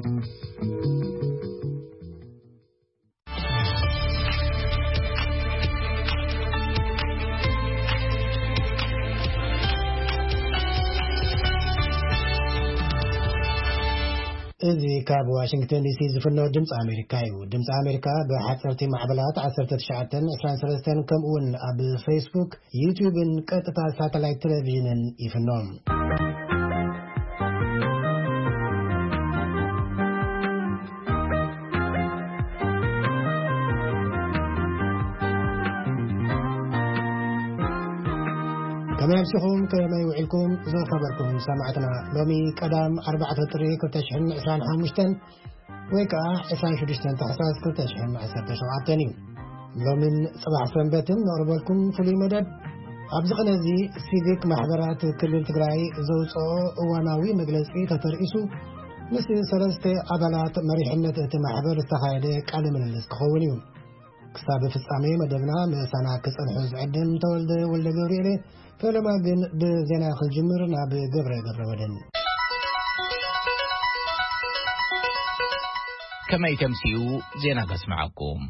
እዚ ካብ ዋሽንግተን ዲሲ ዝፍኖ ድምፂ ኣሜሪካ እዩ። ድምፂ ኣሜሪካ ብሓፀርቲ ማዕበላት ዓሰርተ ትሽዓተ ዕስራን ሰለስተን ከምኡውን ኣብ ፌስቡክ፣ ዩቲዩብን ቀጥታ ሳተላይት ቴሌቪዥንን ይፍኖ። ከመይ ኣምሲኹም፣ ከመይ ውዒልኩም ዝኸበርኩም ሰማዕትና? ሎሚ ቀዳም ኣርባዕተ ጥሪ ክልተ ሽሕን ዕስራን ሓሙሽተን ወይ ከዓ ዕስራን ሽዱሽተን ታሕሳስ ክልተ ሽሕን ዓሰርተ ሸውዓተን እዩ። ሎምን ጽባሕ ሰንበትን ነቕርበልኩም ፍሉይ መደብ። ኣብዚ ቕነ እዚ ሲቪክ ማሕበራት ክልል ትግራይ ዘውፅኦ እዋናዊ መግለፂ ተተርኢሱ ምስ ሰለስተ ኣባላት መሪሕነት እቲ ማሕበር ዝተኻየደ ቃለ ምልልስ ክኸውን እዩ። ክሳብ ፍጻሜ መደብና ምሳና ክጸንሑ ዝዕድም ተወልደ ወልደ ገብርኤል። ፈለማ ግን ብዜና ክንጅምር ናብ ገብረ ገብረ ወደን። ከመይ ተምስዩ ዜና ከስምዓኩም።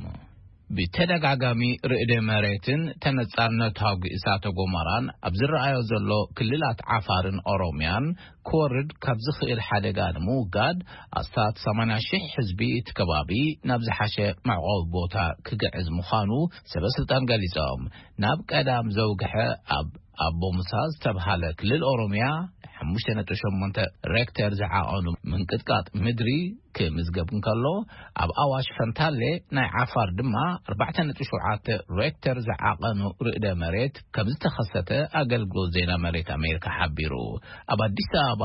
ብተደጋጋሚ ርእደ መሬትን ተነጻርነት ሃጉ እሳተ ጎመራን ኣብ ዝረኣዮ ዘሎ ክልላት ዓፋርን ኦሮምያን ክወርድ ካብ ዝኽእል ሓደጋ ንምውጋድ ኣስታት ሰማንያ ሺሕ ህዝቢ እቲ ከባቢ ናብ ዝሓሸ መዕቆቢ ቦታ ክግዕዝ ምዃኑ ሰበ ስልጣን ገሊጾም። ናብ ቀዳም ዘውግሐ ኣብ ኣቦ ሙሳ ዝተብሃለ ክልል ኦሮምያ ሓሙሽተ ነጥቢ ሸሞንተ ሬክተር ዝዓቐኑ ምንቅጥቃጥ ምድሪ ክምዝገብ እንከሎ፣ ኣብ ኣዋሽ ፈንታሌ ናይ ዓፋር ድማ ኣርባዕተ ነጥቢ ሸውዓተ ሬክተር ዝዓቐኑ ርእደ መሬት ከም ዝተኸሰተ ኣገልግሎት ዜና መሬት ኣሜሪካ ሓቢሩ። ኣብ ኣዲስ ኣበባ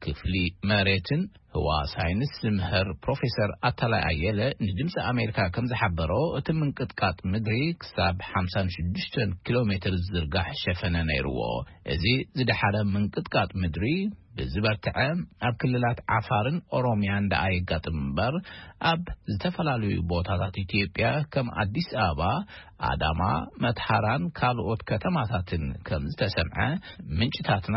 ክፍሊ መሬትን ህዋ ሳይንስ ዝምህር ፕሮፌሰር ኣታላይ ኣየለ ንድምፂ ኣሜሪካ ከም ዝሓበሮ፣ እቲ ምንቅጥቃጥ ምድሪ ክሳብ ሓምሳን ሽዱሽተን ኪሎ ሜትር ዝዝርጋሕ ሸፈነ ነይርዎ። እዚ ዝደሓረ ምንቅጥቃጥ ምድሪ ብዝበርትዐ ኣብ ክልላት ዓፋርን ኦሮምያን ደኣ የጋጥም እምበር፣ ኣብ ዝተፈላለዩ ቦታታት ኢትዮጵያ ከም ኣዲስ ኣበባ፣ ኣዳማ፣ መትሃራን ካልኦት ከተማታትን ከም ዝተሰምዐ ምንጭታትና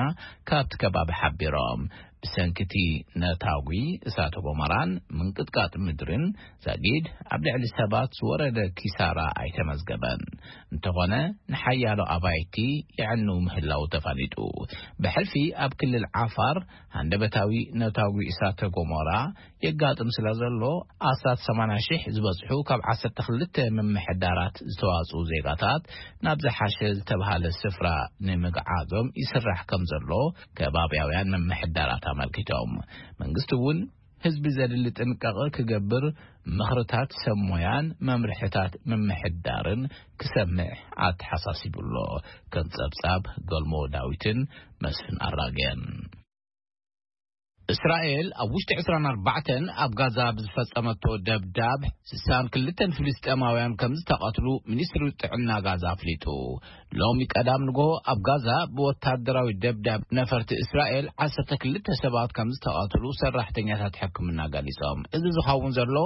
ካብቲ ከባቢ ሓቢሮም። ብሰንኪ እቲ ነታጒ እሳተ ጎመራን ምንቅጥቃጥ ምድርን ዛጊድ ኣብ ልዕሊ ሰባት ዝወረደ ኪሳራ ኣይተመዝገበን። እንተኾነ፣ ንሓያሎ ኣባይቲ የዕንው ምህላው ተፋሊጡ። ብሕልፊ ኣብ ክልል ዓፋር ሃንደበታዊ ነታጒ እሳተ ጎመራ የጋጥም ስለ ዘሎ፣ ኣስታት ሰማንያ ሺሕ ዝበጽሑ ካብ ዓሰርተ ክልተ ምምሕዳራት ዝተዋጽኡ ዜጋታት ናብ ዝሓሸ ዝተብሃለ ስፍራ ንምግዓዞም ይስራሕ ከም ዘሎ ከባብያውያን ምምሕዳራት ኣመልኪቶም። መንግስቲ እውን ህዝቢ ዘድሊ ጥንቃቐ ክገብር ምኽርታት ሰብ ሞያን መምርሕታት ምምሕዳርን ክሰምዕ ኣተሓሳሲቡ ኣሎ። ከም ጸብጻብ ገልሞ ዳዊትን መስፍን ኣራገን። እስራኤል ኣብ ውሽጢ ዕስራን ኣርባዕተን ኣብ ጋዛ ብዝፈጸመቶ ደብዳብ ስሳን ክልተን ፍልስጤማውያን ከም ዝተቐትሉ ሚኒስትሪ ጥዕና ጋዛ ኣፍሊጡ። ሎሚ ቀዳም ንግሆ ኣብ ጋዛ ብወታደራዊ ደብዳብ ነፈርቲ እስራኤል ዓሰርተ ክልተ ሰባት ከም ዝተቐትሉ ሰራሕተኛታት ሕክምና ገሊጾም። እዚ ዝኸውን ዘሎ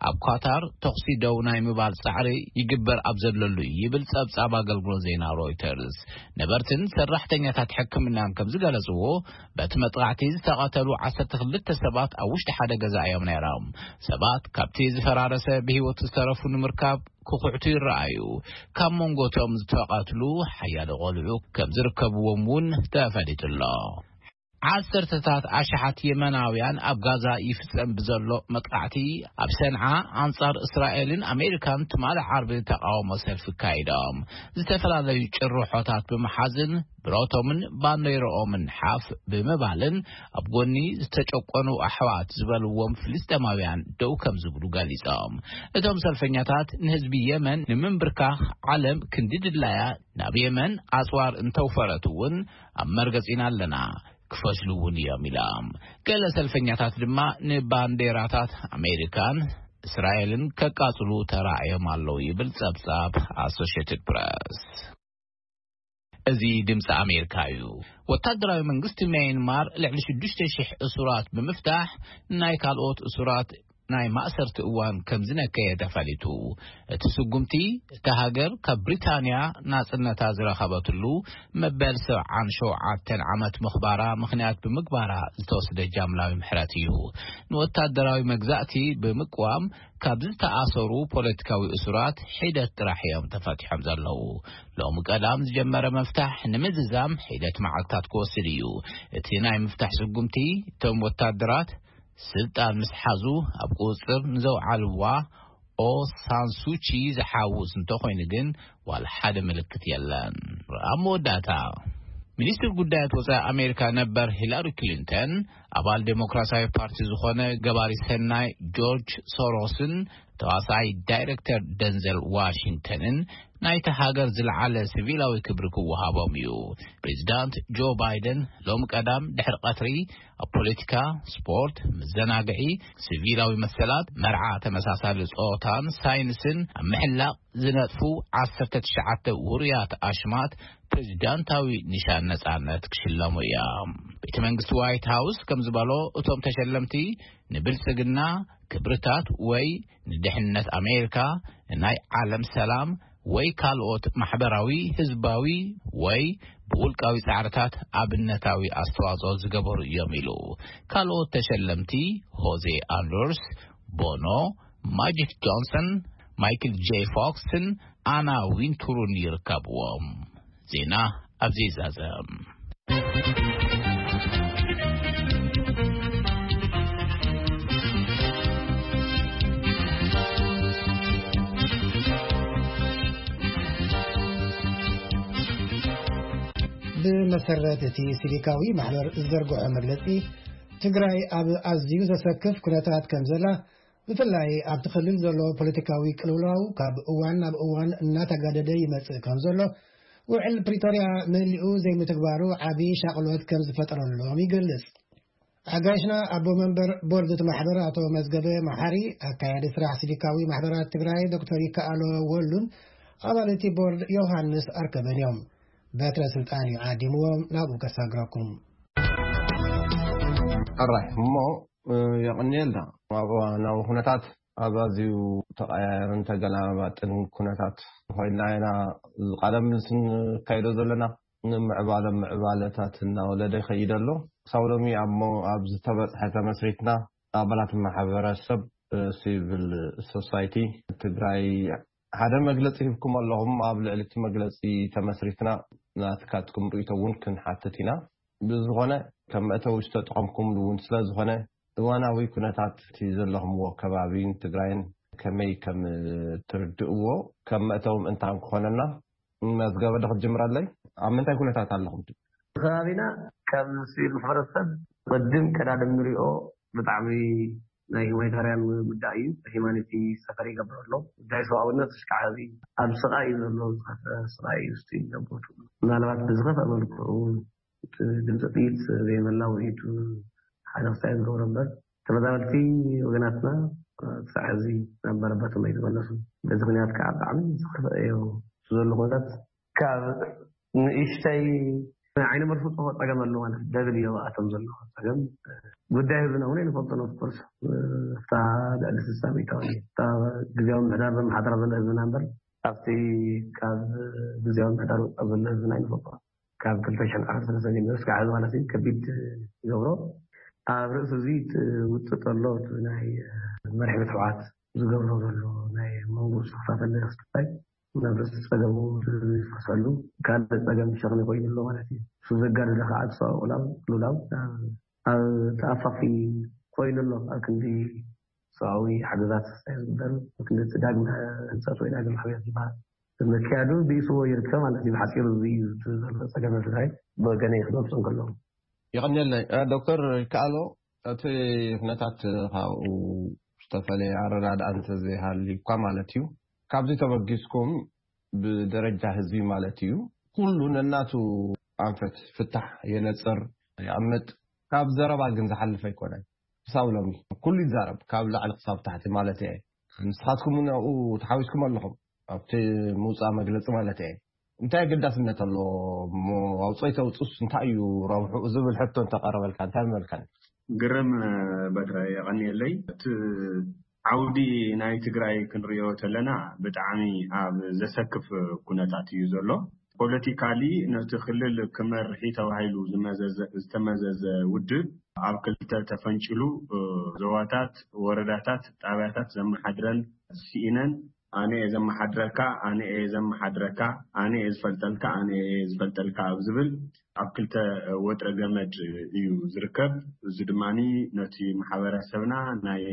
ኣብ ኳታር ተኹሲ ደው ናይ ምባል ጻዕሪ ይግበር ኣብ ዘለሉ እዩ ይብል ጸብጻብ ኣገልግሎት ዜና ሮይተርስ። ነበርትን ሰራሕተኛታት ሕክምናን ከም ዝገለጽዎ፣ በቲ መጥቃዕቲ ዝተቐተሉ ዓሰርተ ክልተ ሰባት ኣብ ውሽጢ ሓደ ገዛ እዮም ነይሮም። ሰባት ካብቲ ዝፈራረሰ ብህይወት ዝተረፉ ንምርካብ ክኹዕቱ ይረኣዩ። ካብ መንጎቶም ዝተቐትሉ ሓያሎ ቆልዑ ከም ዝርከብዎም እውን ተፈሊጡ ኣሎ። ዓሰርተታት ኣሽሓት የመናውያን ኣብ ጋዛ ይፍጸም ብዘሎ መጥቃዕቲ ኣብ ሰንዓ ኣንጻር እስራኤልን ኣሜሪካን ትማሊ ዓርቢ ተቃውሞ ሰልፊ ኣካይዶም። ዝተፈላለዩ ጭርሖታት ብምሓዝን ብረቶምን ባንዴርኦምን ሓፍ ብምባልን ኣብ ጎኒ ዝተጨቆኑ ኣሕዋት ዝበልዎም ፍልስጤማውያን ደው ከም ዝብሉ ገሊጾም። እቶም ሰልፈኛታት ንህዝቢ የመን ንምንብርካኽ ዓለም ክንዲ ድላያ ናብ የመን ኣጽዋር እንተውፈረት እውን ኣብ መርገጺና ኣለና፣ ክፈሽሉ እውን እዮም ኢሎም። ገለ ሰልፈኛታት ድማ ንባንዴራታት ኣሜሪካን እስራኤልን ከቃጽሉ ተራእዮም ኣለዉ ይብል ጸብጻብ ኣሶሽየትድ ፕረስ። እዚ ድምፂ ኣሜሪካ እዩ። ወታደራዊ መንግስቲ ሚያንማር ልዕሊ ሽዱሽተ ሽሕ እሱራት ብምፍታሕ፣ ናይ ካልኦት እሱራት ናይ ማእሰርቲ እዋን ከም ዝነከየ ተፈሊጡ። እቲ ስጉምቲ፣ እታ ሃገር ካብ ብሪጣንያ ናጽነታ ዝረኸበትሉ መበል ሰብዓን ሸውዓተን ዓመት ምኽባራ ምኽንያት ብምግባራ ዝተወስደ ጃምላዊ ምሕረት እዩ። ንወታደራዊ መግዛእቲ ብምቅዋም ካብ ዝተኣሰሩ ፖለቲካዊ እሱራት ሒደት ጥራሕ እዮም ተፈቲሖም ዘለዉ። ሎሚ ቀዳም ዝጀመረ መፍታሕ ንምዝዛም ሒደት መዓልታት ክወስድ እዩ። እቲ ናይ ምፍታሕ ስጉምቲ፣ እቶም ወታደራት ስልጣን ምስ ሓዙ ኣብ ቁጽጽር ንዘውዓልዋ ኦ ሳንሱቺ ዝሓውስ እንተኾይኑ ግን ዋላ ሓደ ምልክት የለን። ኣብ መወዳእታ፣ ሚኒስትር ጉዳያት ወጻኢ ኣሜሪካ ነበር ሂላሪ ክሊንተን፣ ኣባል ዴሞክራሲያዊ ፓርቲ ዝኾነ ገባሪ ሰናይ ጆርጅ ሶሮስን ተዋሳኣይ ዳይሬክተር ደንዘል ዋሽንግተንን ናይታ ሃገር ዝለዓለ ሲቪላዊ ክብሪ ክወሃቦም እዩ። ፕሬዚዳንት ጆ ባይደን ሎም ቀዳም ድሕሪ ቀትሪ ኣብ ፖለቲካ፣ ስፖርት፣ መዘናግዒ፣ ሲቪላዊ መሰላት፣ መርዓ ተመሳሳሊ ጾታን ሳይንስን ኣብ ምሕላቕ ዝነጥፉ ዓሰርተ ትሽዓተ ውሩያት ኣሽማት ፕሬዚዳንታዊ ኒሻን ነጻነት ክሽለሙ እዮም። ቤተ መንግስቲ ዋይት ሃውስ ከም ዝበሎ፣ እቶም ተሸለምቲ ንብልጽግና፣ ክብርታት ወይ ንድሕነት ኣሜሪካ፣ ናይ ዓለም ሰላም ወይ ካልኦት ማሕበራዊ፣ ህዝባዊ ወይ ብውልቃዊ ጻዕርታት ኣብነታዊ ኣስተዋጽኦ ዝገበሩ እዮም ኢሉ። ካልኦት ተሸለምቲ ሆዜ ኣንደርስ፣ ቦኖ፣ ማጂክ ጆንሰን፣ ማይክል ጄ ፎክስን ኣና ዊንቱሩን ይርከብዎም። ዜና ኣብዚ ይዛዘም። ብመሰረት እቲ ሲቪካዊ ማሕበር ዝዘርግሖ መግለጺ፣ ትግራይ ኣብ ኣዝዩ ዘሰክፍ ኩነታት ከም ዘላ፣ ብፍላይ ኣብቲ ክልል ዘሎ ፖለቲካዊ ቅልውላው ካብ እዋን ናብ እዋን እናተጋደደ ይመጽእ ከም ዘሎ፣ ውዕል ፕሪቶርያ መሊኡ ዘይምትግባሩ ዓቢ ሻቕሎት ከም ዝፈጠረሎም ይገልጽ። ኣጋይሽና ኣቦ መንበር ቦርድ እቲ ማሕበር ኣቶ መዝገበ መሓሪ፣ ኣካያዲ ስራሕ ሲቪካዊ ማሕበራት ትግራይ ዶክተር ይከኣሎ ወሉን ኣባል እቲ ቦርድ ዮሃንስ ኣርከበን እዮም። በትረ ስልጣን እዩ ዓዲምዎም፣ ናብኡ ከሳግረኩም። ኣራይ እሞ፣ የቐንየልና። ኣብ እዋናዊ ኩነታት ኣብ ኣዝዩ ተቐያየርን ተገላባጥን ኩነታት ኮይንና ኢና ቀደም ስንካይዶ ዘለና። ንምዕባለ ምዕባለታት እናወለደ ይኸይድ ኣሎ። ክሳብ ሎሚ ኣብ ሞ-፣ ኣብ ዝተበጽሐ ተመስሪትና ኣባላት ማሕበረሰብ፣ እ፣ ሲቪል ሶሳይቲ ትግራይ ሓደ መግለጺ ሂብኩም ኣለኹም። ኣብ ልዕሊ እቲ መግለጺ ተመስሪትና ናትካትኩም ርእይቶ እውን ክንሓትት ኢና። ብዝኾነ ከም መእተዊ ዝተጠቐምኩምሉ እውን ስለ ዝኾነ እዋናዊ ኩነታት እቲ ዘለኹምዎ ከባቢን ትግራይን ከመይ ከም ትርድእዎ ከም መእተዊ ምእንታን ክኾነና መዝገበ ዶ ክትጅምረለይ? ኣብ ምንታይ ኩነታት ኣለኹም? ከባቢና ከም ሲቪል ማሕበረሰብ ቅድም ቀዳድም ንሪኦ ብጣዕሚ ናይ ሂማኒታርያን ጉዳይ እዩ። ሂማኒቲ ሰፈር ይገብር ኣሎ። ጉዳይ ሰብኣውነት ኣሽካዕቢ ኣብ ስቓይ እዩ ዘሎ። ዝኸፍአ ስቓይ እዩ ስቲል ዘቦቱ። ምናልባት ብዝኸፍአ መልክዑ ድምፂ ጥይት ዘይመላ ውዒቱ ሓደ ክሳይ ዝገብሮ እምበር ተመዛበልቲ ወገናትና ክሳዕ ሕዚ ናብ መረበቶም ኣይተመለሱ። በዚ ምክንያት ከዓ ብጣዕሚ ዝኸፍአ እዩ ዘሎ ኩነታት። ካብ ንእሽተይ ዓይኒ መርፍፆ ፀገም ኣሎ ማለት ደብል እዮ ኣቶም ዘሎ ፀገም። ጉዳይ ህዝብና እውን ኣይንፈልጦን። ኦፍኮርስ እታ ልዕሊ ስሳ ሚእታዊ እታ ግዜያዊ ምሕዳር ዘመሓደራ ዘሎ ህዝብና እምበር ኣብቲ ካብ ግዜያዊ ምሕዳር ወፃእ ዘሎ ህዝብና ኣይንፈልጦ። ካብ ክልተ ሽሕን ዓሰርተ ሰለስተ ጀሚሩ እስካዕ ሕዚ ማለት እዩ ከቢድ ይገብሮ። ኣብ ርእሲ እዚ ትውጥጥ ኣሎ እቲ ናይ መሪሕ ምትሕውዓት ዝገብሮ ዘሎ ናይ መንጎ ዝኽፋፈል ክስታይ ናብ ርእሲ ጸገሙ ይፈሰሉ ካልእ ጸገም ሸኽሚ ኮይኑ ኣሎ ማለት እዩ። እሱ ዘጋደለ ከዓ እቲ ሰብኣዊ ቅልውላው ቅልውላው ኣብ ተኣፋፊ ኮይኑ ኣሎ ኣብ ክንዲ ሰብኣዊ ሓገዛት ዝግበር ምክንያት ዳግመ ህንፀት ወይ ዳግመ ሕውየት ዝበሃል መክያዱ ብኢስዎ ይርከብ ማለት እዩ። ብሓፂሩ እዚ እዩ እቲ ዘሎ ፀገም ትግራይ ብወገነይ ክገልፁ እንከለዉ። የቐንየለይ ዶክተር ይከኣሎ፣ እቲ ኩነታት ካብኡ ዝተፈለየ ኣረዳድኣ እንተዘይሃልዩ እኳ ማለት እዩ፣ ካብዚ ተበጊስኩም ብደረጃ ህዝቢ ማለት እዩ ኩሉ ነናቱ ኣንፈት ፍታሕ የነፅር የቐምጥ። ካብ ዘረባ ግን ዝሓልፍ ኣይኮነን። ክሳብ ሎሚ ኩሉ ይዛረብ፣ ካብ ላዕሊ ክሳብ ታሕቲ ማለት እየ። ንስኻትኩም እውን ኣብኡ ተሓዊስኩም ኣለኹም፣ ኣብቲ ምውፃእ መግለፂ ማለት እየ። እንታይ ኣገዳስነት ኣለዎ እሞ ኣውፅኦ ይተውፅስ እንታይ እዩ ረብሑ ዝብል ሕቶ እንተቀረበልካ እንታይ ምመልካ? ግርም በትረ የቐንየለይ። እቲ ዓውዲ ናይ ትግራይ ክንሪኦ ተለና ብጣዕሚ ኣብ ዘሰክፍ ኩነታት እዩ ዘሎ። ፖለቲካሊ ነቲ ክልል ክመርሒ ተባሂሉ ዝመዘዘ- ዝተመዘዘ ውድብ ኣብ ክልተ ተፈንጭሉ፣ እ፣ ዞባታት፣ ወረዳታት፣ ጣብያታት ዘመሓድረን ስኢነን፣ ኣነ እየ ዘመሓድረካ፣ ኣነ እየ ዘመሓድረካ፣ ኣነ እየ ዝፈልጠልካ፣ ኣነ እየ ዝፈልጠልካ ኣብ ዝብል ኣብ ክልተ ወጥረ ገመድ እዩ ዝርከብ። እዚ ድማ ነቲ ማሕበረሰብና ናይ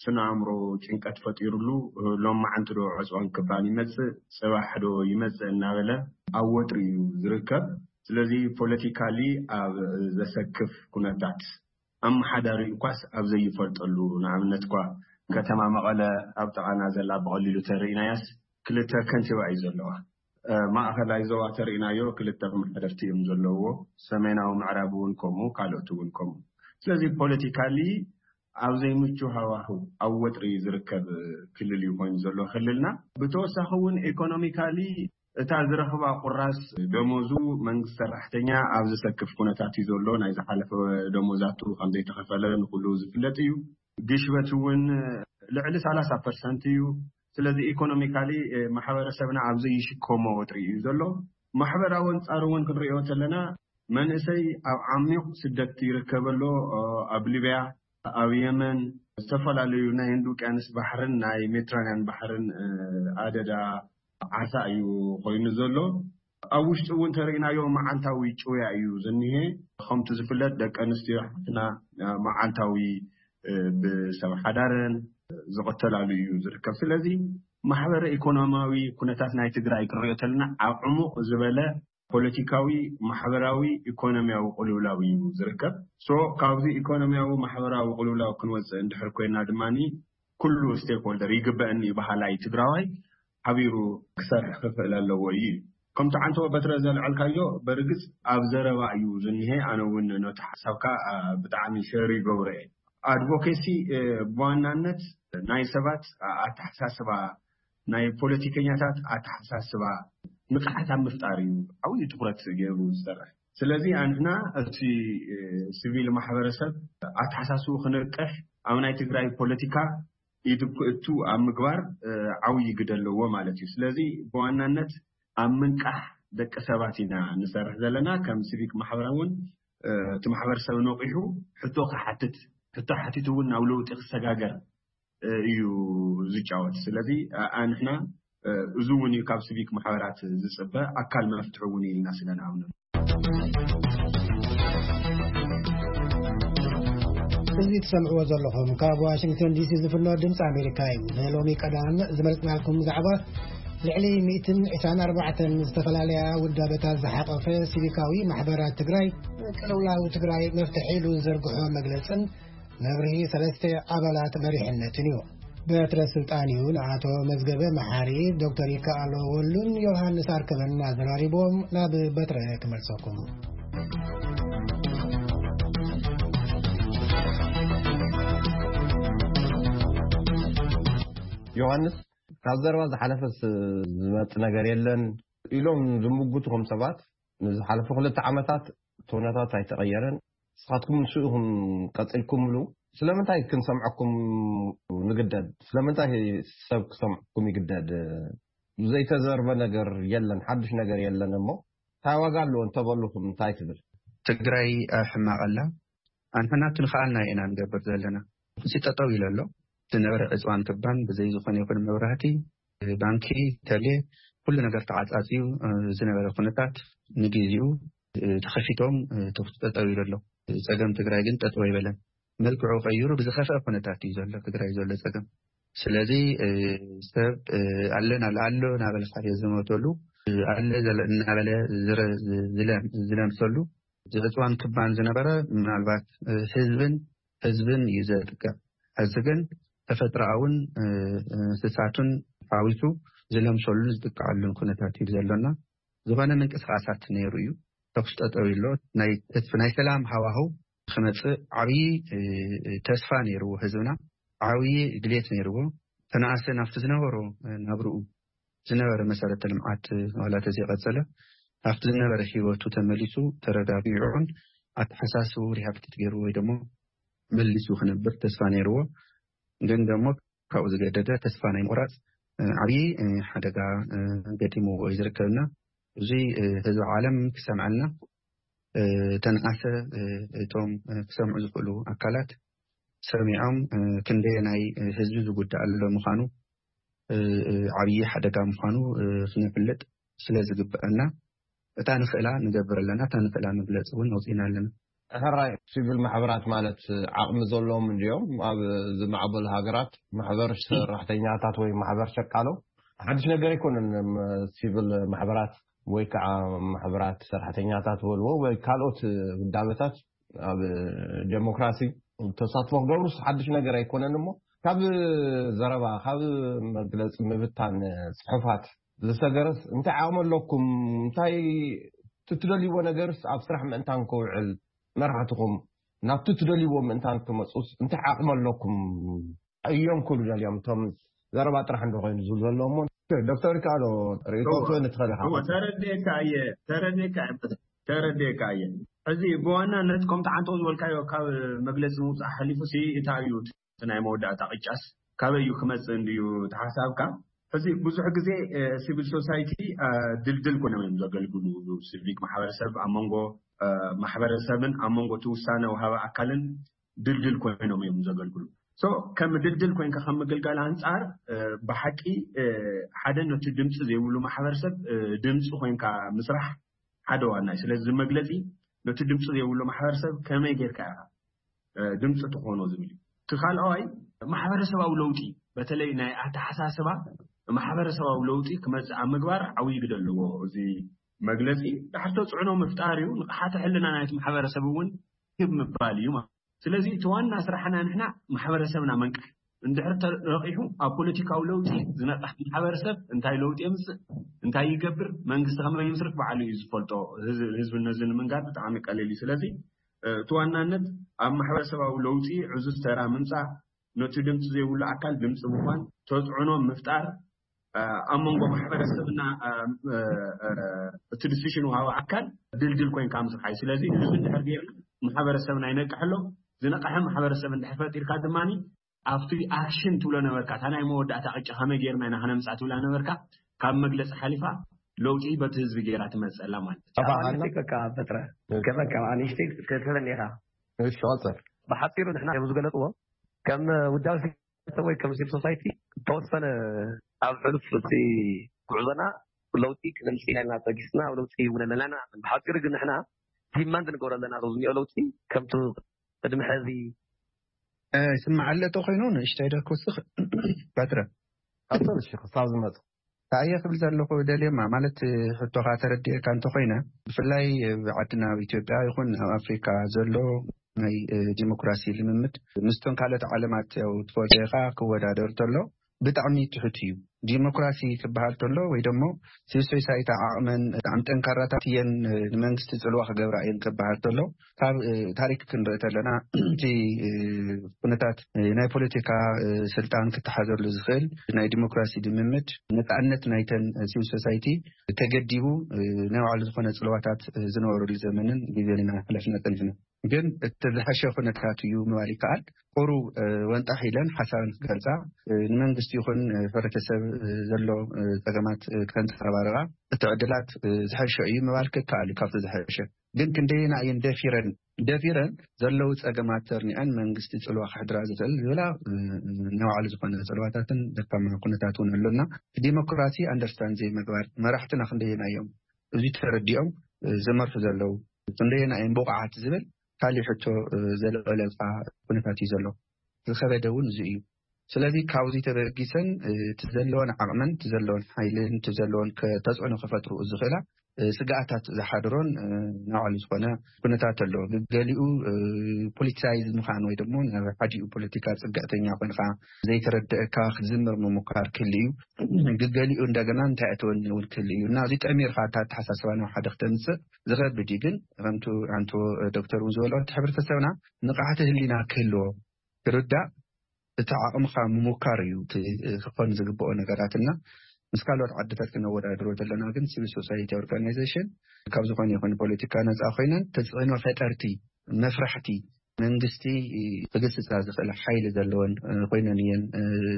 ስነ ኣእምሮ ጭንቀት ፈጢሩሉ፣ ሎማዓንቲ ዶ ዕፅዋን ክባን ይመፅእ፣ ፅባሕ ዶ ይመፅእ እናበለ ኣብ ወጥሪ እዩ ዝርከብ። ስለዚ ፖለቲካሊ ኣብ ዘሰክፍ ኩነታት፣ ኣመሓዳሪ እኳስ ኣብ ዘይፈልጠሉ፣ ንኣብነት እኳ ከተማ መቐለ ኣብ ጥቓና ዘላ ብቐሊሉ ተርኢናያስ ክልተ ከንቲባ እዩ ዘለዋ። እ፣ ማእኸላይ ዞባ ተርኢናዮ ክልተ ኣመሓደርቲ እዮም ዘለዎ። ሰሜናዊ ምዕራብ እውን ከምኡ፣ ካልኦት እውን ከምኡ። ስለዚ ፖለቲካሊ ኣብ ዘይምቹ ሃዋህው፣ ኣብ ወጥሪ ዝርከብ ክልል እዩ ኮይኑ ዘሎ ክልልና። ብተወሳኺ እውን ኢኮኖሚካሊ እታ ዝረኽባ ቁራስ ደሞዙ መንግስቲ ሰራሕተኛ ኣብ ዝሰክፍ ኩነታት እዩ ዘሎ። ናይ ዝሓለፈ ደሞዛቱ ከም ዘይተኸፈለ ንኩሉ ዝፍለጥ እዩ። ግሽበት እውን ልዕሊ ሰላሳ ፐርሰንት እዩ። ስለዚ ኢኮኖሚካሊ፣ እ፣ ማሕበረሰብና ኣብ ዘይሽከሞ ወጥሪ እዩ ዘሎ። ማሕበራዊ ኣንጻሩ እውን ክንሪኦ ተለና መንእሰይ ኣብ ዓሚቕ ስደት ይርከብ ኣሎ። እ፣ ኣብ ሊብያ፣ ኣብ የመን፣ ዝተፈላለዩ ናይ ህንዲ ውቅያንስ ባሕርን ናይ ሜዲትራንያን ባሕርን፣ እ፣ ኣደዳ ዓሳ እዩ ኮይኑ ዘሎ። ኣብ ውሽጢ እውን ተርእናዮ መዓልታዊ ጭውያ እዩ ዝኒሄ። ከምቲ ዝፍለጥ ደቂ ኣንስትዮ ሓፍትና፣ እ፣ መዓልታዊ፣ እ፣ ብሰብ ሓዳረን ዝቐተላሉ እዩ ዝርከብ። ስለዚ ማሕበረ ኢኮኖሚያዊ ኩነታት ናይ ትግራይ ክንሪኦ ተለና ኣብ ዕሙቕ ዝበለ ፖለቲካዊ፣ ማሕበራዊ፣ ኢኮኖሚያዊ ቅልውላው እዩ ዝርከብ። ሶ ካብዚ ኢኮኖሚያዊ ማሕበራዊ ቅልውላው ክንወፅእ እንድሕር ኮይና ድማ ኩሉ ስቴክሆልደር ይግበአኒ በሃላይ ትግራዋይ ሓቢሩ ክሰርሕ ክኽእል ኣለዎ እዩ። ከምቲ ዓንተወ በትረ ዘልዐልካዮ በርግፅ ኣብ ዘረባ እዩ ዝኒሄ። ኣነ እውን ነቲ ሓሳብካ፣ አ፣ ብጣዕሚ ሸር ይገብሮ እየ። ኣድቮኬሲ፣ እ፣ ብዋናነት ናይ ሰባት ኣተሓሳስባ፣ ናይ ፖለቲከኛታት ኣተሓሳስባ ንቕሓት ኣብ ምፍጣር እዩ ዓብዪ ትኩረት ገይሩ ዝሰርሕ። ስለዚ ኣንሕና እቲ፣ እ፣ ሲቪል ማሕበረሰብ ኣተሓሳስቡ ክንቅሕ ኣብ ናይ ትግራይ ፖለቲካ ኢድ ክእቱ ኣብ ምግባር፣ እ፣ ዓብዪ ግደ ኣለዎ ማለት እዩ። ስለዚ ብዋናነት ኣብ ምንቃሕ ደቂ ሰባት ኢና ንሰርሕ ዘለና። ከም ሲቪክ ማሕበራ እውን፣ እ፣ እቲ ማሕበረሰብ ነቂሑ ሕቶ ክሓትት፣ ሕቶ ሓቲቱ እውን ናብ ለውጢ ክሰጋገር፣ እ፣ እዩ ዝጫወት። ስለዚ፣ እ፣ ኣንሕና፣ እ፣ እዚ እውን እዩ ካብ ሲቪክ ማሕበራት ዝጽበ፣ ኣካል መፍትሒ እውን ኢልና ስለ ንኣምነሉ። እዚ ትሰምዕዎ ዘለኹም ካብ ዋሽንግተን ዲሲ ዝፍኖ ድምፂ ኣሜሪካ እዩ። ንሎሚ ቀዳም ዝመረፅናልኩም ዛዕባ ልዕሊ ሚእትን ዕስራን ኣርባዕተን ዝተፈላለያ ውዳበታት ዝሓቆፈ ሲቪካዊ ማሕበራት ትግራይ ቅልውላው ትግራይ መፍትሒ ኢሉ ዝዘርግሖ መግለፅን መብርሂ ሰለስተ ኣባላት መሪሕነትን እዩ። በትረ ስልጣን እዩ ንኣቶ መዝገበ መሓሪ፣ ዶክተር ይከኣሎ ወሉን ዮሃንስ ኣርከበን ኣዘራሪቦም ናብ በትረ ክመልሰኩም። ዮሃንስ፣ ካብ ዘረባ ዝሓለፈስ ዝመጽእ ነገር የለን ኢሎም ዝምጉቱ ከም ሰባት፣ ንዝሓለፉ ክልተ ዓመታት እቲ ኩነታት ኣይተቐየረን። ንስኻትኩም ንሱ ኢኹም ቀጺልኩምሉ። ስለምንታይ ክንሰምዐኩም ንግደድ? ስለምንታይ ሰብ ክሰምዐኩም ይግደድ? ዘይተዘርበ ነገር የለን፣ ሓድሽ ነገር የለን። እሞ እንታይ ዋጋ ኣለዎ እንተበሉኹም እንታይ ትብል? ትግራይ ኣብ ሕማቕ ኣላ። ኣንሕና እቲ ንኽኣልና ኢና ንገብር ዘለና። እዚ ጠጠው ኢሉ ኣሎ። ዝነበረ ዕፅዋን ክባን ብዘይ ዝኾነ ይኹን መብራህቲ፣ ባንኪ፣ ተሌ፣ ኩሉ ነገር ተዓፃፂዩ፣ እ፣ ዝነበረ ኩነታት ንግዜኡ፣ እ፣ ተኸፊቶም፣ እ፣ ተኹሲ ጠጠው ኢሉ ኣሎ። ጸገም ትግራይ ግን ጠጠው ኣይበለን። መልክዑ ቀይሩ ብዝኸፍአ ኩነታት እዩ ዘሎ ትግራይ ዘሎ ጸገም። ስለዚ፣ እ፣ ሰብ፣ እ፣ ኣለና ኣሎ እናበለ ዝመተሉ፣ እ፣ ኣለ ዘለ እናበለ ዝረ-፣ ዝለ-፣ ዝለምሰሉ፣ ዝዕፅዋን ክባን ዝነበረ ምናልባት፣ እ፣ ህዝብን ህዝብን እዩ ዘጥቅዕ። ሕዚ ግን ተፈጥሮኣውን፣ እ፣ እንስሳቱን ሓዊሱ ዝለምሰሉን ዝጥቀዐሉን ኩነታት እዩ ዘሎና። ዝኾነ ምንቅስቃሳት ነይሩ እዩ። ተኩስ ጠጠው ኢሎ ናይ ተስፍ-፣ ናይ ሰላም ሃዋህው ክመጽእ ዓብዪ፣ እ፣ ተስፋ ነይርዎ ህዝብና። ዓብዪ ድሌት ነይርዎ። ተነኣሰ ናብቲ ዝነበሮ፣ እ፣ ናብርኡ ዝነበረ መሰረተ ልምዓት ዋላ ተዘይቀጸለ፣ ናብቲ ዝነበረ ህይወቱ ተመሊሱ ተረጋጊዑን ኣተሓሳስቡ ሪሃብሊቴት ገይሩ ወይ ደሞ መሊሱ ክነብር ተስፋ ነይርዎ። ግን ደሞ ካብኡ ዝገደደ ተስፋ ናይ ምቑራጽ፣ እ፣ ዓብዪ፣ እ፣ ሓደጋ፣ እ፣ ገጢምዎ እዩ ዝርከብና። እዚ፣ እ፣ ህዝቢ ዓለም ክሰምዐልና፣ እ፣ ተነኣሰ፣ እ፣ እቶም፣ እ፣ ክሰምዑ ዝኽእሉ ኣካላት ሰሚዖም፣ እ፣ ክንደየናይ፣ እ፣ ህዝቢ ዝጉዳእ ኣሎ ምዃኑ፣ እ፣ እ፣ ዓብዪ ሓደጋ ምዃኑ፣ እ፣ ክነፍልጥ ስለ ዝግብአና፣ እታ ንኽእላ ንገብር ኣለና፣ እታ ንኽእላ መግለጺ እውን ኣውጺእና ኣለና። ሕራይ፣ ሲቪል ማሕበራት ማለት ዓቕሚ ዘለዎም እንድዮም። ኣብ ዝማዕበሉ ሃገራት ማሕበር ሰራሕተኛታት ወይ ማሕበር ሸቃሎ ሓድሽ ነገር ኣይኮነን። እም፣ ሲቪል ማሕበራት ወይ ከዓ ማሕበራት ሰራሕተኛታት በልዎ ወይ ካልኦት ውዳበታት ኣብ ዴሞክራሲ ተሳትፎ ክገብሩስ ሓድሽ ነገር ኣይኮነን። እሞ ካብ ዘረባ፣ ካብ መግለፂ ምብታን ፅሑፋት ዝሰገረስ እንታይ ዓቕሚ ኣለኩም? እንታይ ትትደልይዎ ነገርስ ኣብ ስራሕ ምእንታን ክውዕል፣ መራሕትኹም ናብቲ ትደልይዎ ምእንታን ክመፁስ እንታይ ዓቕሚ ኣለኩም እዮም ክብሉ ደልዮም? እቶም ዘረባ ጥራሕ እንዶ ኮይኑ ዝብሉ ዘለዎም። ዶክተር ይከኣሎ፣ ርእይቶ እወ። ክትህበኒ ትኽእል ኢኻ። እወ፣ ተረድኤካ እየ፣ ተረድኤካ እየ፣ ተረድኤካ እየ። ሕዚ ብዋናነት ከምቲ ዓንተው ዝበልካዮ ካብ መግለፂ ምውፃእ ሓሊፉ ሲ እንታይ እዩ እቲ ናይ መወዳእታ ቅጫስ ካበይ እዩ ክመፅእ እንድዩ እቲ ሓሳብካ? ሕዚ ብዙሕ ግዜ፣ እ፣ ሲቪል ሶሳይቲ፣ እ፣ ድልድል ኮይኖም እዮም ዘገልግሉ። ሲቪክ ማሕበረሰብ ኣብ መንጎ፣ እ፣ ማሕበረሰብን ኣብ መንጎ እቲ ውሳነ ወሃቢ ኣካልን ድልድል ኮይኖም እዮም ዘገልግሉ። ሶ ከም ድልድል ኮይንካ ከም ምግልጋል ኣንጻር፣ እ፣ ብሓቂ፣ እ፣ ሓደ ነቲ ድምፂ ዘይብሉ ማሕበረሰብ፣ እ፣ ድምፂ ኮይንካ ምስራሕ ሓደ ዋና እዩ። ስለዚ እዚ መግለፂ ነቲ ድምፂ ዘይብሉ ማሕበረሰብ ከመይ ጌርካ ኢኻ፣ እ፣ ድምፂ ትኾኖ ዝብል እዩ። እቲ ካልኣዋይ ማሕበረሰባዊ ለውጢ፣ በተለይ ናይ ኣተሓሳስባ ማሕበረሰባዊ ለውጢ ክመፅእ ኣብ ምግባር ዓብዪ ግደ ኣለዎ። እዚ መግለፂ ዳሕር ተፅዕኖ ምፍጣር እዩ። ንቕሓተ ሕልና ናይቲ ማሕበረሰብ እውን ክብ ምባል እዩ ማለት። ስለዚ እቲ ዋና ስራሕና ንሕና ማሕበረሰብና መንቃሕ፣ እንድሕር ተነቂሑ ኣብ ፖለቲካዊ ለውጢ ዝነቃሕ ማሕበረሰብ እንታይ ለውጢ የምፅእ፣ እንታይ ይገብር፣ መንግስቲ ከመይ ይምስርት ባዕሉ እዩ ዝፈልጦ። ህዝ-፣ ህዝቢ ነዚ ንምንጋር ብጣዕሚ ቀሊል እዩ። ስለዚ፣ እ፣ እቲ ዋናነት ኣብ ማሕበረሰባዊ ለውጢ ዕዙዝ ተራ ምምፃእ፣ ነቲ ድምፂ ዘይብሉ ኣካል ድምፂ ምኳን፣ ተፅዕኖ ምፍጣር፣ እ፣ ኣብ መንጎ ማሕበረሰብና፣ እ፣ እ፣ እ፣ እቲ ዲሲሽን ወሃቢ ኣካል ድልድል ኮይንካ ምስራሕ እዩ። ስለዚ እዚ እንድሕር ጌርና ማሕበረሰብና ይነቅሕ ኣሎ። ዝነቅሐ ማሕበረሰብ እንድሕር ፈጢርካ ድማ ኣብቲ ኣክሽን ትብሎ ነበርካ፣ እታ ናይ መወዳእታ ቅጫ ከመይ ጌርና ኢና ከነምፃ ትብላ ነበርካ፣ ካብ መግለፂ ሓሊፋ ለውጢ በቲ ህዝቢ ጌራ ትመፀላ ማለት እዩ። ኣባ ኣነ ኣነ በቃ በጥረ፣ ከበቃ ኣንሽተይ ክትህበኒ ኢኻ። እሺ፣ ቀፅል። ብሓፂሩ ንሕና ከም ዝገለፅዎ፣ ከም ውዳብ ሰብ ወይ ከም ሲቪል ሶሳይቲ ዝተወሰነ ኣብ ሕሉፍ እቲ ጉዕዞና ለውጢ ክነምፅእ ኢና ኢልና ፀጊስና፣ ኣብ ለውጢ እውን ኣለና ኢና። ብሓፂሩ ግን ንሕና ዲማንድ ንገብሮ ኣለና፣ እዚ ዝኒኦ ለውጢ ከምቲ ቅድሚ ሕዚ እ፣ ይስማዕ ኣሎ ተኾይኑ ንእሽተይ ዶ ክውስኽ? ባትረ። ቀፅል፣ እሺ፣ ክሳብ ዝመፅእ። ኣየ ክብል ዘለኹ ደልየማ፣ ማለት፣ ሕቶኻ ተረዲኤካ እንተኾይነ፣ ብፍላይ ኣብ ዓድና ኣብ ኢትዮጵያ ይኹን ኣብ ኣፍሪካ ዘሎ ናይ፣ እ፣ ዲሞክራሲ ልምምድ ምስቶም ካልኦት ዓለማት፣ ያው፣ ትፈልጦ ኢኻ፣ ክወዳደር ተሎ ብጣዕሚ ትሑት እዩ። ዲሞክራሲ ክበሃል ተሎ ወይ ደሞ ሲቪል ሶሳይቲ ዓቕመን ብጣዕሚ ጠንካራታት እየን፣ እ፣ ንመንግስቲ ጽልዋ ክገብራ እየን ክበሃል ተሎ፣ ካብ፣ እ፣ ታሪክ ክንርኢ ተለና፣ እቲ፣ እ፣ ኩነታት፣ እ፣ ናይ ፖለቲካ፣ እ፣ ስልጣን ክተሓዘሉ ዝኽእል ናይ ዲሞክራሲ ልምምድ፣ ነጻነት ናይተን፣ እ፣ ሲቪል ሶሳይቲ ተገዲቡ፣ እ፣ ናይ ባዕሉ ዝኾነ ጽልዋታት፣ እ፣ ዝነበረሉ ዘመንን ግዜን ኢና ሕለፍና ጸኒሕና። ግን እቲ ዝሐሸ ኩነታት እዩ ምባል ይከኣል። ቁሩብ፣ እ፣ ወንጣሕ ኢለን ሓሳበን ክገልጻ፣ እ፣ ንመንግስቲ ይኹን፣ እ፣ ሕብረተሰብ፣ እ፣ ዘሎ፣ እ፣ ጸገማት፣ እ፣ ከንጸባርቓ እቲ ዕድላት፣ እ፣ ዝሐሸ እዩ ምባል ክከኣል እዩ። ካብቲ ዝሐሸ ግን ክንደየና እየን ደፊረን፣ ደፊረን ዘለዉ ጸገማት ተርኒዐን መንግስቲ ጽልዋ ከሕድራ ዝኽእል ዝብላ፣ እ፣ እ፣ ናይ ባዕሉ ዝኾነ ጽልዋታትን ደካማ ኩነታት እውን ኣሎና። ዲሞክራሲ ኣንደርስታንድ ዘይምግባር፣ መራሕትና ክንደየና እዮም እዚ ተረዲኦም፣ እ፣ ዝመርሑ ዘለዉ፣ ክንደየና እዮም ብቑዓት ዝብል ካሊእ ሕቶ፣ እ፣ ዘልዕለልካ ኩነታት እዩ ዘሎ። ዝኸበደ እውን እዚ እዩ። ስለዚ ካብዚ ተበጊሰን፣ እ፣ እቲ ዘለወን ዓቕመን፣ እቲ ዘለወን ሓይልን፣ እቲ ዘለወን ከ-፣ ተጽዕኖ ከፈጥሩ ዝኽእላ፣ እ፣ ስግኣታት ዝሓድሮን፣ እ፣ ናይ ባዕሉ ዝኾነ ኩነታት ኣሎ። ገሊኡ፣ እ፣ ፖለቲሳይዝ ምዃን ወይ ደሞ ናብ ሓዲኡ ፖለቲካ ጽግዕተኛ ኮይንካ ዘይተረድአካ ክትዝምር ምሙካር ክህሉ እዩ። ገሊኡ እንደገና እንታይ ኣተወኒ እውን ክህሉ እዩ። እና እዚ ጠሚርካ እታ ኣተሓሳስባ ናብ ሓደ ክተምጽእ ዝኸብድ እዩ። ግን ከምቱ ኣንቶ ዶክተር እውን ዝበሎ፣ እቲ ሕብረተሰብና ንቕሓተ ህሊና ክህልዎ፣ ክርዳእ፣ እቲ ዓቕምኻ ምሙካር እዩ እቲ ክኾን ዝግብኦ ነገራት። እና ምስ ካልኦት ዓድታት ክነወዳድሮ ዘለና ግን ሲቪል ሶሳይቲ ኦርጋናይዜሽን ካብ ዝኾነ ይኹን ፖለቲካ ነፃ ኮይነን ተፅዕኖ ፈጠርቲ፣ መፍራሕቲ፣ መንግስቲ ክግስጻ ዝኽእል ሓይሊ ዘለወን ኮይነን እየን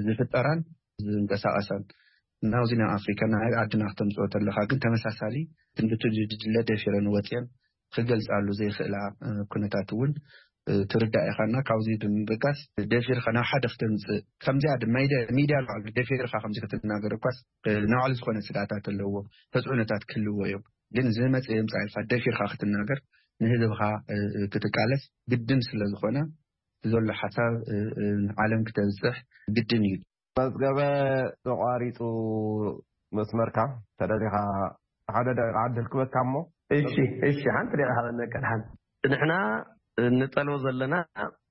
ዝፍጠራን ዝንቀሳቐሳን። ናብዚ ናብ ኣፍሪካ ናብ ዓድና ክተምፅኦ ተለካ ግን ተመሳሳሊ ክንድቲ ድድለ ደፊረን ወፅየን ክገልፃሉ ዘይኽእላ ኩነታት እውን ትርዳእ ኢኻና። ካብዚ ብምብጋስ ደፊርካ ናብ ሓደ ክተምፅእ ከምዚኣ ሚድያ ላዕሊ ደፊርካ ከምዚ ክትናገር እኳስ ንባዕሉ ዝኾነ ስጋታት ኣለዎ፣ ተፅዕኖታት ክህልዎ እዮም። ግን ዝመፀ የምፃ ኢልካ ደፊርካ ክትናገር ንህዝብኻ ክትቃለስ ግድን ስለዝኾነ ዘሎ ሓሳብ ዓለም ክተብፅሕ ግድን እዩ። መዝገበ ተቋሪፁ መስመርካ ተደሊኻ ሓደ ደቂቃ ዕድል ክበካ እሞ። እሺ፣ እሺ፣ ሓንቲ ደቂቃ ሃበኒ ቀድሓን። ንሕና እንጠልቦ ዘለና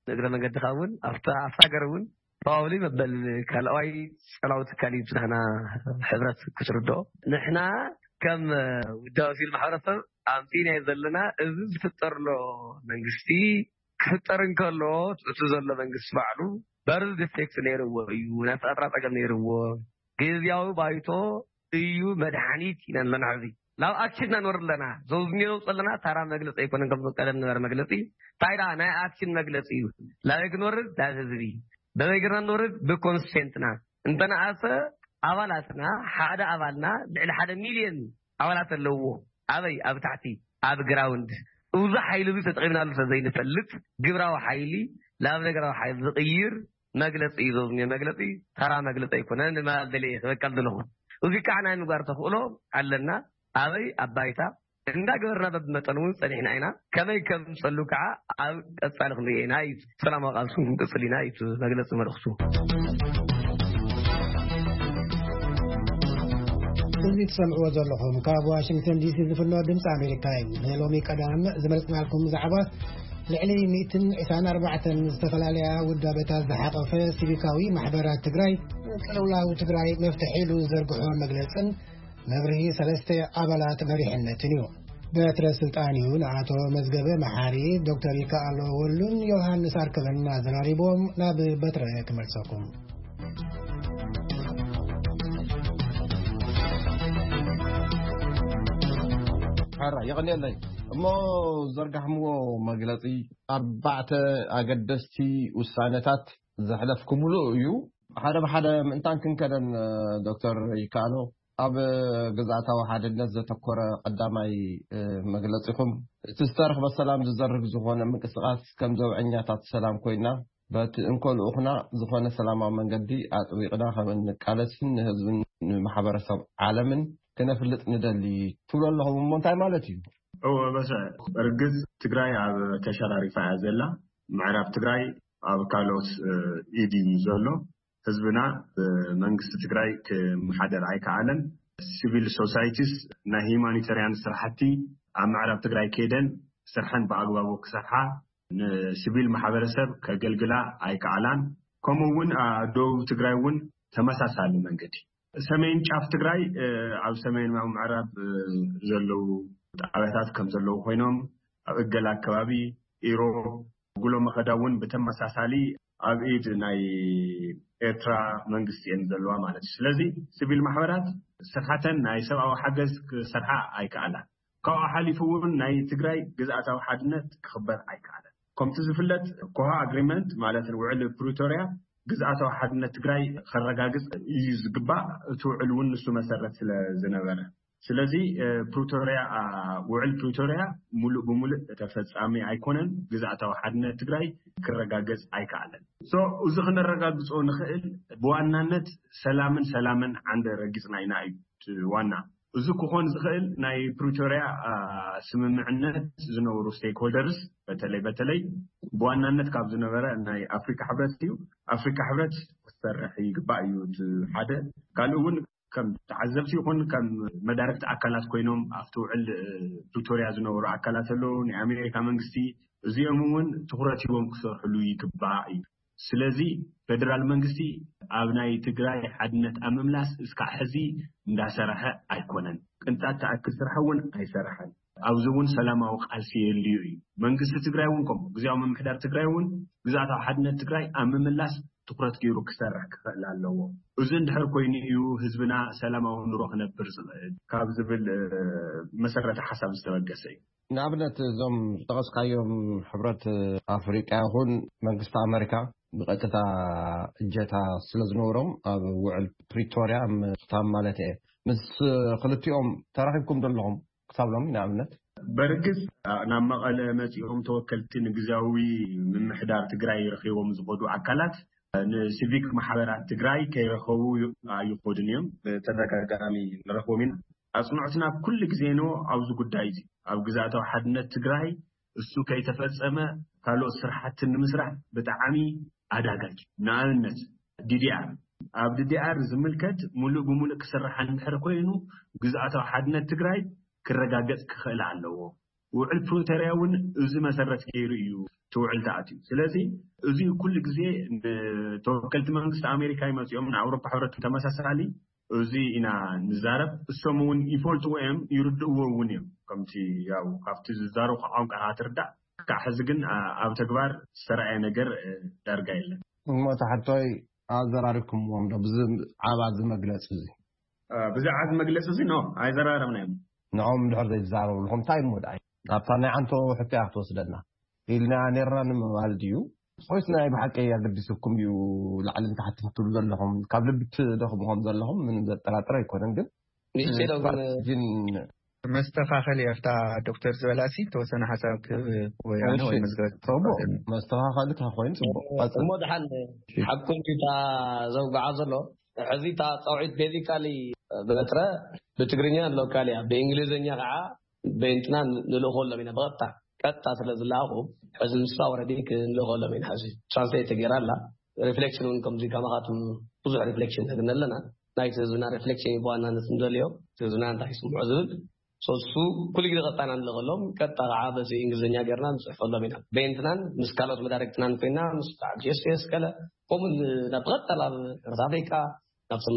ንእግረ መንገድኻ እውን ኣብታ ኣብታ ሃገር እውን ፕሮባብሊ መበል ካልኣዋይ ጸላዊ ትካል እዩ ናህና ሕብረት ክትርድኦ። ንሕና ከም ውዳበ ሲቪል ማሕበረሰብ ኣምጺእናዮ ዘለና እዚ ዝፍጠር ዘሎ መንግስቲ ክፍጠር እንከሎ እቲ ዘሎ መንግስቲ ባዕሉ በርዝ ዲፌክት ነይርዎ እዩ፣ ናይ ኣፈጣጥራ ጸገም ነይርዎ፣ ግዝያዊ ባይቶ እዩ መድሓኒት ኢና ኣለና። ሕዚ ናብ ኣክሽን ኢና ንወርድ ኣለና። ዘውዝኒ ዘውፅ ኣለና ታራ መግለፂ ኣይኮነን፣ ከም ቀደም ነበረ መግለፂ እንታይ ደኣ ናይ ኣክሽን መግለፂ እዩ። ላበይ ክንወርድ ናብ ህዝቢ፣ በበይ ገርና ንወርድ ብኮንስቴንትና እንተነኣሰ ኣባላትና ሓደ ኣባልና ልዕሊ ሓደ ሚልዮን ኣባላት ኣለዎ። ኣበይ ኣብ ታሕቲ ኣብ ግራውንድ እዚ ሓይሊ እዚ ተጠቒምናሉ ስለዘይንፈልጥ ግብራዊ ሓይሊ ናብ ነገራዊ ሓይሊ ዝቕይር መግለፂ እዩ። ዘውዝኒ መግለፂ ተራ መግለፂ ኣይኮነን። ንማል ደልየ ክበቀል ዘለኹ እዚ ከዓ ናይ ምግባር ተኽእሎ ኣለና። ኣበይ ኣብ ባይታ እንዳገበርና በብመጠን እውን ፀኒሕና ኢና። ከመይ ከም ፀሉ ከዓ ኣብ ቀፃሊ ክንሪኦ ኢና እዩ። ሰላማዊ ቃልሱ ክንቅፅል ኢና እዩ መግለፂ መልእኽቱ። እዚ ትሰምዕዎ ዘለኹም ካብ ዋሽንግተን ዲሲ ዝፍኖ ድምፂ ኣሜሪካ እዩ። ንሎሚ ቀዳም ዝመረፅናልኩም ዛዕባ ልዕሊ ሚእትን ዕስራን ኣርባዕተን ዝተፈላለያ ውዳበታት ዝሓቐፈ ሲቪካዊ ማሕበራት ትግራይ ቅልውላው ትግራይ መፍትሒ ኢሉ ዝዘርግሖ መግለፅን መብርሂ ሰለስተ ኣባላት መሪሕነትን እዩ። በትረ ስልጣን እዩ ንኣቶ መዝገበ መሓሪ፣ ዶክተር ይከኣሎ ወሉን ዮሃንስ ኣርከበን ኣዘራሪቦም። ናብ በትረ ክመልሰኩም። ሓራ የቐንየለይ። እሞ ዘርጋሕምዎ መግለፂ ኣርባዕተ ኣገደስቲ ውሳነታት ዘሕለፍኩምሉ እዩ። ሓደ ብሓደ ምእንታን ክንከደን ዶክተር ይከኣሎ ኣብ ግዝኣታዊ ሓድነት ዘተኮረ ቀዳማይ መግለፂኹም እቲ ዝተረኽበ ሰላም ዝዘርግ ዝኾነ ምንቅስቃስ ከም ዘብዐኛታት ሰላም ኮይና በቲ እንኮ ልኡኽና ዝኾነ ሰላማዊ መንገዲ ኣጥቢቕና ከም እንቃለስን ንህዝብን ንማሕበረሰብ ዓለምን ክነፍልጥ ንደሊ ትብሉ ኣለኹም። እሞ እንታይ ማለት እዩ? እወ በስዐ፣ እርግጽ ትግራይ ኣብ ተሸራሪፋ እያ ዘላ። ምዕራብ ትግራይ ኣብ ካልኦት ኢድ እዩ ዘሎ። ህዝብና ብመንግስቲ ትግራይ ክመሓደር ኣይከኣለን። ሲቪል ሶሳይቲስ ናይ ሂማኒተርያን ስራሕቲ ኣብ ምዕራብ ትግራይ ከይደን ስርሐን ብኣግባቡ ክሰርሓ ንሲቪል ማሕበረሰብ ከገልግላ ኣይከኣላን። ከምኡ እውን ኣብ ደቡብ ትግራይ እውን ተመሳሳሊ መንገዲ ሰሜን ጫፍ ትግራይ ኣብ ሰሜን ምዕራብ ዘለዉ ጣብያታት ከም ዘለዉ ኮይኖም ኣብ እገላ ኣከባቢ ኢሮብ ጉሎ መኸዳ እውን ብተመሳሳሊ ኣብ ኢድ ናይ ኤርትራ መንግስቲ እየን ዘለዋ ማለት እዩ። ስለዚ ሲቪል ማሕበራት ስርሓተን ናይ ሰብኣዊ ሓገዝ ክሰርሓ ኣይከኣላን። ካብኡ ሓሊፉ እውን ናይ ትግራይ ግዝኣታዊ ሓድነት ክኽበር ኣይከኣለን። ከምቲ ዝፍለጥ ኮሃ ኣግሪመንት ማለት ውዕል ፕሪቶርያ ግዝኣታዊ ሓድነት ትግራይ ከረጋግፅ እዩ ዝግባእ። እቲ ውዕል እውን ንሱ መሰረት ስለ ዝነበረ ስለዚ ፕሪቶርያ ውዕል ፕሪቶርያ ሙሉእ ብሙሉእ ተፈፃሚ ኣይኮነን። ግዝኣታዊ ሓድነት ትግራይ ክረጋገፅ ኣይከኣለን። እዚ ክነረጋግፆ ንኽእል ብዋናነት ሰላምን ሰላምን ዓንደ ረጊፅና ኢና እዩ ዋና። እዚ ክኾን ዝኽእል ናይ ፕሪቶርያ ስምምዕነት ዝነበሩ ስቴክሆልደርስ በተለይ በተለይ ብዋናነት ካብ ዝነበረ ናይ ኣፍሪካ ሕብረት እዩ። ኣፍሪካ ሕብረት ክሰርሕ ይግባእ እዩ እቲ ሓደ። ካልእ እውን ከም ተዓዘብቲ ይኹን ከም መዳርግቲ ኣካላት ኮይኖም ኣብቲ ውዕል ፕሪቶርያ ዝነበሩ ኣካላት ኣለዉ ናይ ኣሜሪካ መንግስቲ እዚኦም እውን ትኩረት ሂቦም ክሰርሕሉ ይግባእ እዩ። ስለዚ ፌደራል መንግስቲ ኣብ ናይ ትግራይ ሓድነት ኣብ ምምላስ እስካዕ ሕዚ እንዳሰረሐ ኣይኮነን። ቅንጣት ተኣክል ስራሕ እውን ኣይሰረሐን። ኣብዚ እውን ሰላማዊ ቃልሲ የድልዩ እዩ። መንግስቲ ትግራይ እውን ከምኡ ግዜያዊ ምምሕዳር ትግራይ እውን ግዝኣታዊ ሓድነት ትግራይ ኣብ ምምላስ ትኹረት ገይሩ ክሰርሕ ክኽእል ኣለዎ። እዚ እንድሕር ኮይኑ እዩ ህዝብና ሰላማዊ ኑሮ ክነብር ዝኽእል ካብ ዝብል መሰረተ ሓሳብ ዝተበገሰ እዩ። ንኣብነት እዞም ዝጠቐስካዮም ሕብረት ኣፍሪቃ ይኹን መንግስቲ ኣመሪካ ብቐጥታ እጀታ ስለ ዝነበሮም ኣብ ውዕል ፕሪቶርያ ምኽታም ማለት እየ። ምስ ክልቲኦም ተራኺብኩም ዘለኹም ክሳብ ሎሚ ንኣብነት? በርግስ ናብ መቐለ መፂኦም ተወከልቲ ንግዜያዊ ምምሕዳር ትግራይ ረኺቦም ዝኸዱ ኣካላት ንሲቪክ ማሕበራት ትግራይ ከይረኸቡ ኣይኾዱን እዮም። ብተደጋጋሚ ንረኽቦም ኢና። ኣፅንዖትና ኩሉ ግዜ ኖ ኣብዚ ጉዳይ እዚ ኣብ ግዛእታዊ ሓድነት ትግራይ እሱ ከይተፈፀመ ካልኦት ስራሕቲ ንምስራሕ ብጣዕሚ ኣዳጋጅ። ንኣብነት ዲዲኣር ኣብ ዲዲኣር ዝምልከት ሙሉእ ብሙሉእ ክስራሕ እንድሕር ኮይኑ ግዝኣታዊ ሓድነት ትግራይ ክረጋገፅ ክኽእል ኣለዎ። ውዕል ፕሪቶርያ እውን እዚ መሰረት ገይሩ እዩ ትውዕል ተኣትዩ። ስለዚ እዚ ኩሉ ግዜ ንተወከልቲ መንግስቲ ኣሜሪካ ይመፅኦም ንኣውሮፓ ሕብረት ተመሳሳሊ እዚ ኢና ንዛረብ። እሶም እውን ይፈልጥዎ እዮም ይርድእዎ እውን እዮም። ከምቲ ያው ካብቲ ዝዛረቡ ቋንቋ ትርዳእ። ክሳዕ ሕዚ ግን ኣብ ተግባር ዝተረኣየ ነገር ዳርጋ የለን። እሞ ተሓቶይ ኣዘራሪብኩምዎም ዶ ብዚ ዓባ እዚ መግለፂ እዚ? ብዛዕባ እዚ መግለፂ እዚ ኖ ኣይዘራረብናዮም። ንኦም ድሕር ዘይዛረብልኩም እንታይ እሞ ደኣ ኣብታ ናይ ዓንቶ ሕቶ እያ ክትወስደና ኢልና ነርና ንምባል ድዩ? ወይስ ናይ ብሓቂ ኣገዲስኩም እዩ ላዕልን ታሕትን ትብሉ ዘለኹም? ካብ ልቢ ትደኽሙ ከም ዘለኹም ምንም ዘጠራጥር ኣይኮነን። ግን ንእሽተይ ዶ ግን ስትራቴጂን መስተኻኸሊ ኣብታ ዶክተር ዝበላሲ ተወሰነ ሓሳብ ክህብ ወይ ኣነ ወይ መዝገብ ጽቡቅ መስተኻኸሊ ተኾይኑ ጽቡቅ። እሞ ደሓን ሓቁ እንጂ እታ ዘውግዓ ዘሎ ሕዚ እታ ጻውዒት ቤዚካሊ በትረ ብትግርኛ ሎካል እያ፣ ብእንግሊዝኛ ከዓ በእንትና ንልእኾሎም ኢና ብቐጥታ ቀጥታ ስለ ዝለኣኹ ሕዚ ንሳ ወረዲ ክንልእኾሎም ኢና። ሕዚ ትራንስሌት ተገይራ ኣላ። ሪፍሌክሽን እውን ከምዚ ከማኻትም ብዙሕ ሪፍሌክሽን ነግኒ ኣለና። ናይቲ ህዝብና ሪፍሌክሽን እዩ ብዋናነት ንደልዮ፣ ህዝብና እንታይ ይስምዖ ዝብል። ሶሱ ኩሉ ግዜ ቀጥታ ኢና ንልእኾሎም። ቀጥታ ከዓ በዚ እንግሊዝኛ ገይርና ንፅሕፈሎም ኢና። በእንትናን ምስ ካልኦት መዳርግትናን ኮይና ምስ ጂኤስኤስ ከለ ከምኡ ናብ ብቐጥታ ናብ ሕብረት ኣፍሪቃ ናብቶም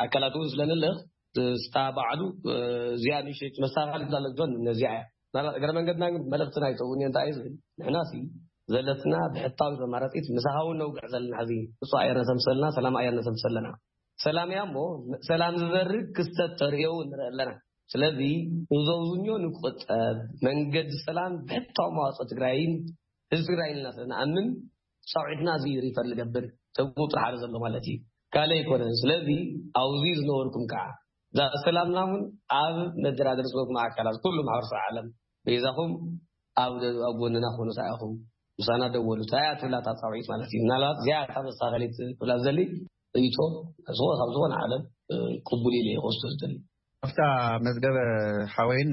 ኣካላት እውን ስለ ንልእኽ ስታ ባዕሉ እዚኣ ንእሽተይ መስተኻኸሊ ትላለች ዞን ነዚኣ እያ። ናላ እግረ መንገድና ግን መልእኽቲ ናይ ተውኒ እንታይ እዩ ዝብል ንሕና ሲ ዘለትና ብሕታዊ መማረፂት ምሳኻ እውን ነውግዕ ዘለና ሕዚ እሱ ኣየር ነተምሰልና ሰላም ኣየር ነተምሰለና ሰላም እያ እሞ ሰላም ዝበርግ ክስተት ተርእዮ እውን ንርኢ ኣለና። ስለዚ ንዘውዝኞ ንቁጠብ መንገዲ ሰላም ብሕታዊ መዋፅኦ ትግራይን ህዝቢ ትግራይን ኢልና ስለ ንኣምን ፃውዒትና እዚ ሪፈር ዝገብር ተብቁ ጥራሕ ዘሎ ማለት እዩ። ካልእ ኣይኮነን። ስለዚ ኣብዚ ዝነበርኩም ከዓ እዛ ሰላምና እውን ኣብ መደራደሪ ዝበኩም ኣካላት ኩሉ ማሕበረሰብ ዓለም በይዛኹም ኣብ ኣብ ጎንና ኮኑ ሳኢኹም ምሳና ደወሉ ሳያ ትብላ እታ ፃውዒት ማለት እዩ። ምናልባት እዚኣ እታ መስተኻኸሊት ክብላ ዝደሊ ርእይቶ ዝኾነ ካብ ዝኾነ ዓለም ቅቡል ኢለ ይወስዶ ዝደሊ ኣብታ መዝገበ ሓወይን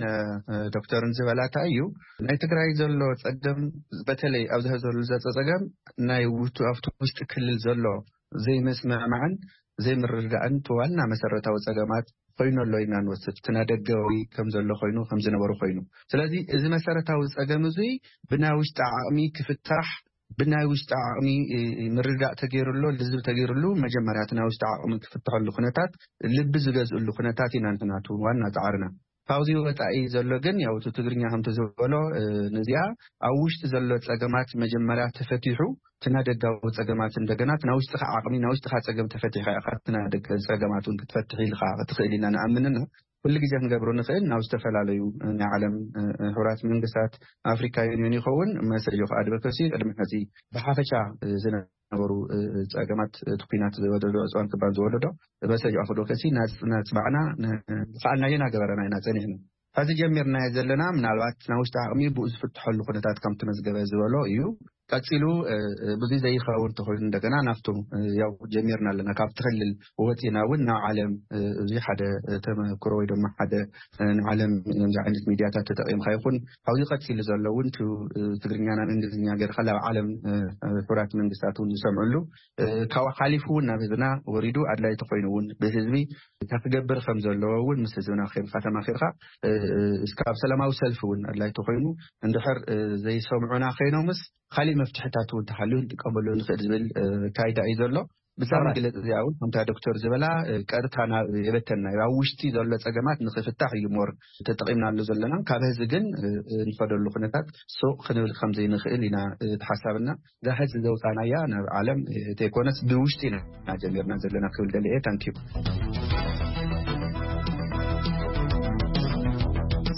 ዶክተርን ዝበላታ እዩ። ናይ ትግራይ ዘሎ ፀገም በተለይ ኣብዚ ዘሎ ዘሎ ፀገም ናይ ውቱ ኣብቲ ውሽጢ ክልል ዘሎ ዘይመስምዕማዕን ዘይምርድዳእን እቲ ዋና መሰረታዊ ፀገማት ኮይኑ ኣሎ ኢና ንወስድ። እቲ ናይ ደገዊ ከም ዘሎ ኮይኑ ከም ዝነበሩ ኮይኑ ስለዚ እዚ መሰረታዊ ፀገም እዙይ ብናይ ውሽጢ ዓቕሚ ክፍታሕ ብናይ ውሽጢ ዓቕሚ ምርዳእ ተገይርሎ ልዝብ ተገይርሉ መጀመርያ እቲ ናይ ውሽጢ ዓቕሚ ክፍትሐሉ ኩነታት ልቢ ዝገዝእሉ ኩነታት ኢና ንሕናቱ ዋና ፃዕርና ካብዚ ወፃኢ ዘሎ ግን ያው እቲ ትግርኛ ከምቲ ዝበሎ ነዚኣ ኣብ ውሽጢ ዘሎ ፀገማት መጀመርያ ተፈቲሑ እቲ ናይ ደጋዊ ፀገማት እንደገና እቲ ናይ ውሽጥኻ ዓቕሚ ናይ ውሽጥኻ ፀገም ተፈቲሕካ ኢኻ እቲ ናይ ደገ ፀገማት እውን ክትፈትሕ ኢልካ ክትኽእል ኢና ንኣምንና ኩሉ ግዜ ክንገብሮ ንኽእል ናብ ዝተፈላለዩ ናይ ዓለም ሕራት መንግስታት ኣፍሪካ ዩኒዮን ይኸውን መሰዮ ከ ኣድቨከሲ ቅድሚ ሕዚ ብሓፈሻ ዝነበሩ ፀገማት እቲ ኩናት ዝወለዶ ዕፅዋን ክባን ዝወለዶ መሰዮ ኣድቨከሲ ናፅባዕና ዝኸኣልናዮ ናገበረና ኢና ፀኒሕና ሕዚ ጀሚርናዮ ዘለና ምናልባት ናይ ውሽጢ ዓቕሚ ብኡ ዝፍትሐሉ ኩነታት ከም ተመዝገበ ዝበሎ እዩ ቀፂሉ ብዙ ዘይኸውን ተኮይኑ እንደገና ናብቶም ያው ጀሚርና ኣለና ካብ ትክልል ወፂና እውን ናብ ዓለም እዚ ሓደ ተመክሮ ወይ ድማ ሓደ ንዓለም እዚ ዓይነት ሚድያታት ተጠቂምካ ይኹን ካብዚ ቀፂሉ ዘሎ እውን ትግርኛ ናብ እንግሊዝኛ ገርካ ናብ ዓለም ሕራት መንግስታት እውን ዝሰምዕሉ ካብኡ ሓሊፉ እውን ናብ ህዝብና ወሪዱ ኣድላይ ተኮይኑ እውን ብህዝቢ እንታይ ክገብር ከም ዘለዎ እውን ምስ ህዝብና ከይምካ ተማኪርካ እስካብ ሰላማዊ ሰልፊ እውን ኣድላይ ተኮይኑ እንድሕር ዘይሰምዑና ከይኖምስ ካሊእ መፍትሕታት እውን ተሃልዩ ንጥቀመሉ ንኽእል ዝብል ካይዳ እዩ ዘሎ። ብዛዕባ መግለፂ እዚኣ እውን ከምታ ዶክተር ዝበላ ቀጥታ ናብ የበተና ኣብ ውሽጢ ዘሎ ፀገማት ንክፍታሕ እዩ ሞር ተጠቒምናሉ ዘለና። ካብ ህዚ ግን ንኸደሉ ኩነታት ሱቕ ክንብል ከም ዘይንኽእል ኢና እቲ ሓሳብና። እዛ ህዚ ዘውፃናያ ናብ ዓለም ተይኮነስ ብውሽጢ ኢና ጀሚርና ዘለና ክብል ደለ እየ። ታንኪዩ።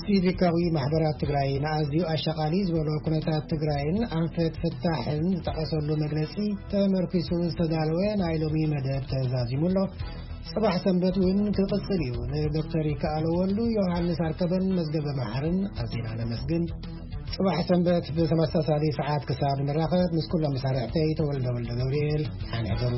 ሲቪካዊ ማሕበራት ትግራይ ንኣዝዩ ኣሻቓሊ ዝበሎ ኩነታት ትግራይን ኣንፈት ፍታሕን ዝጠቐሰሉ መግለፂ ተመርኪሱ ዝተዳለወ ናይ ሎሚ መደብ ተዛዚሙ ኣሎ። ፅባሕ ሰንበት እውን ክቕፅል እዩ። ንዶክተር ይከኣሎ ወሉ፣ ዮሃንስ ኣርከበን መዝገበ መሓርን ኣዚና ነመስግን። ፅባሕ ሰንበት ብተመሳሳሊ ሰዓት ክሳብ ንራኸብ ምስ ኩሎም መሳርሕተይ ተወልደ ወልደ ገብርኤል ሓንሕደሩ።